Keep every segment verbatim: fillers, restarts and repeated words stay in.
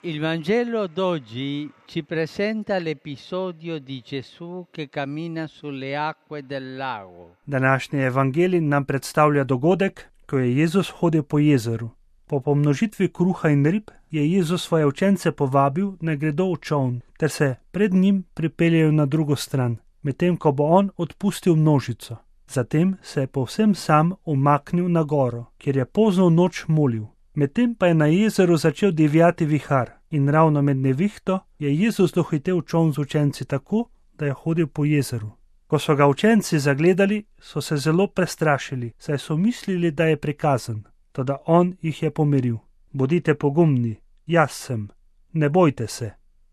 Il Vangelo d'oggi ci presenta l'episodio di Gesù che cammina sulle acque del lago. Današnji evangelij nam predstavlja dogodek, ko je Jezus hodil po jezeru. Po pomnožitvi kruha in rib je Jezus svoje učence povabil, naj gredo v čoln, ter se pred njim pripeljejo na drugo stran, medtem ko bo on odpustil množico. Zatem se je povsem sam umaknil na goro, kjer je pozno v noč molil. Medtem pa je na jezeru začel divjati vihar in ravno med nevihto je Jezus dohitel čoln z učenci tako, da je hodil po jezeru. Ko so ga učenci zagledali, so se zelo prestrašili, saj so mislili, da je prikazan, toda on jih je pomiril. Bodite pogumni, jaz sem, ne bojte se.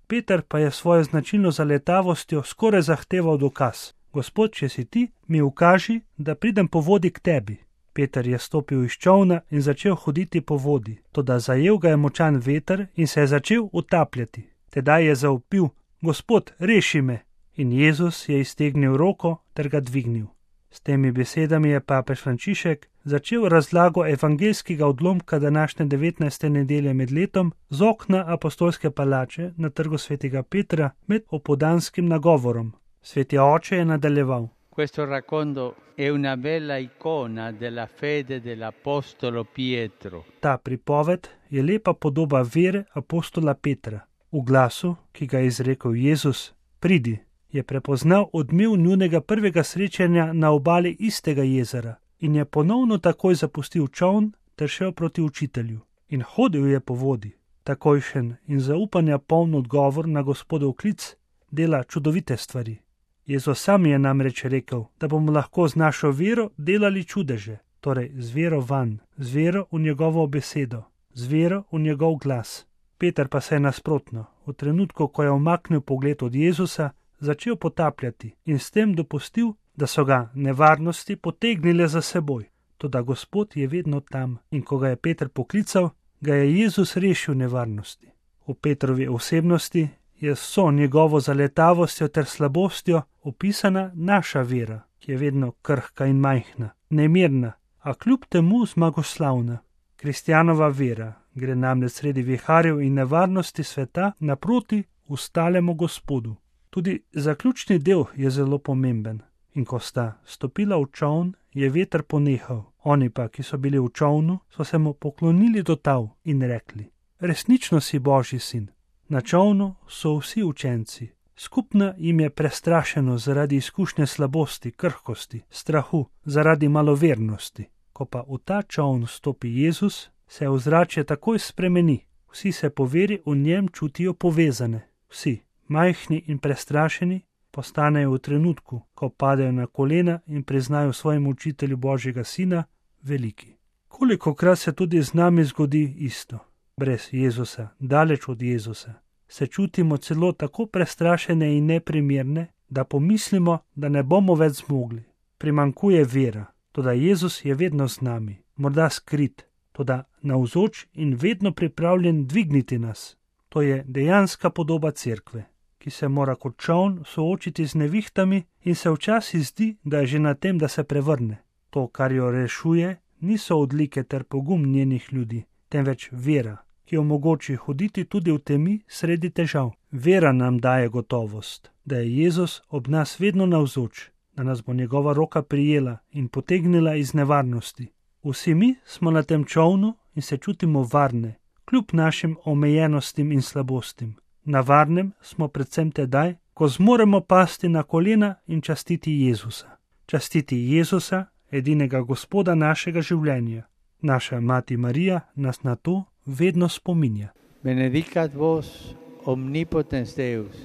Peter pa je svojo značilno zaletavostjo skoraj zahteval dokaz. Gospod, če si ti, mi ukaži, da pridem po vodi k tebi. Peter je stopil iz čolna in začel hoditi po vodi, toda zajel ga je močan veter in se je začel utapljati. Tedaj je zavpil: Gospod, reši me! In Jezus je iztegnil roko ter ga dvignil. S temi besedami je papež Frančišek začel razlago evangeljskega odlomka današnje devetnajste nedelje med letom z okna apostolske palače na trgu svetega Petra med opoldanskim nagovorom. Sveti oče je nadaljeval: Questo racconto è una bella icona della fede dell'apostolo Pietro. Ta pripoved je lepa podoba vere apostola Petra. V glasu, ki ga je izrekel Jezus, pridi, je prepoznal odmev njunega prvega srečanja na obali istega jezera in je ponovno takoj zapustil čoln ter šel proti učitelju. In hodil je po vodi. Takojšen in zaupanja poln odgovor na Gospodov klic dela čudovite stvari. Jezus sam je namreč rekel, da bomo lahko z našo vero delali čudeže, torej z vero vanj, z vero v njegovo besedo, z vero v njegov glas. Peter pa se je nasprotno, v trenutku, ko je umaknil pogled od Jezusa, začel potapljati in s tem dopustil, da so ga nevarnosti potegnile za seboj. Toda Gospod je vedno tam in ko ga je Peter poklical, ga je Jezus rešil nevarnosti. V Petrovi osebnosti je so njegovo zaletavostjo ter slabostjo opisana naša vera, ki je vedno krhka in majhna, nemirna, a kljub temu zmagoslavna. Kristjanova vera gre namreč sredi viharjev in nevarnosti sveta naproti ustalemu Gospodu. Tudi zaključni del je zelo pomemben. In ko sta stopila v čoln, je veter ponehal. Oni pa, ki so bili v čolnu, so se mu poklonili do tal in rekli: Resnično si Božji sin. Na čolnu so vsi učenci. Skupna jim je prestrašenost zaradi izkušnje slabosti, krhkosti, strahu, zaradi malovernosti. Ko pa v ta čoln stopi Jezus, se ozračje takoj spremeni. Vsi se po veri v njem čutijo povezane. Vsi, majhni in prestrašeni, postanejo v trenutku, ko padejo na kolena in priznajo svojemu učitelju Božjega sina, veliki. Kolikokrat se tudi z nami zgodi isto. Brez Jezusa, daleč od Jezusa, se čutimo celo tako prestrašene in neprimerne, da pomislimo, da ne bomo več zmogli. Primankuje vera, toda Jezus je vedno z nami, morda skrit, toda navzoč in vedno pripravljen dvigniti nas. To je dejanska podoba cerkve, ki se mora kot čoln soočiti z nevihtami in se včasih zdi, da je že na tem, da se prevrne. To, kar jo rešuje, niso odlike ter pogum njenih ljudi, temveč vera, ki omogoči hoditi tudi v temi sredi težav. Vera nam daje gotovost, da je Jezus ob nas vedno navzoč, da nas bo njegova roka prijela in potegnila iz nevarnosti. Vsi mi smo na tem čolnu in se čutimo varne, kljub našim omejenostim in slabostim. Na varnem smo predvsem tedaj, ko zmoremo pasti na kolena in častiti Jezusa. Častiti Jezusa, edinega Gospoda našega življenja. Naša mati Marija nas na to vedno spominja. Benedicat vos omnipotens Deus,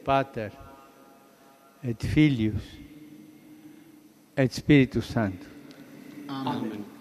Pater et Filius et Spiritus Sanctus. Amen.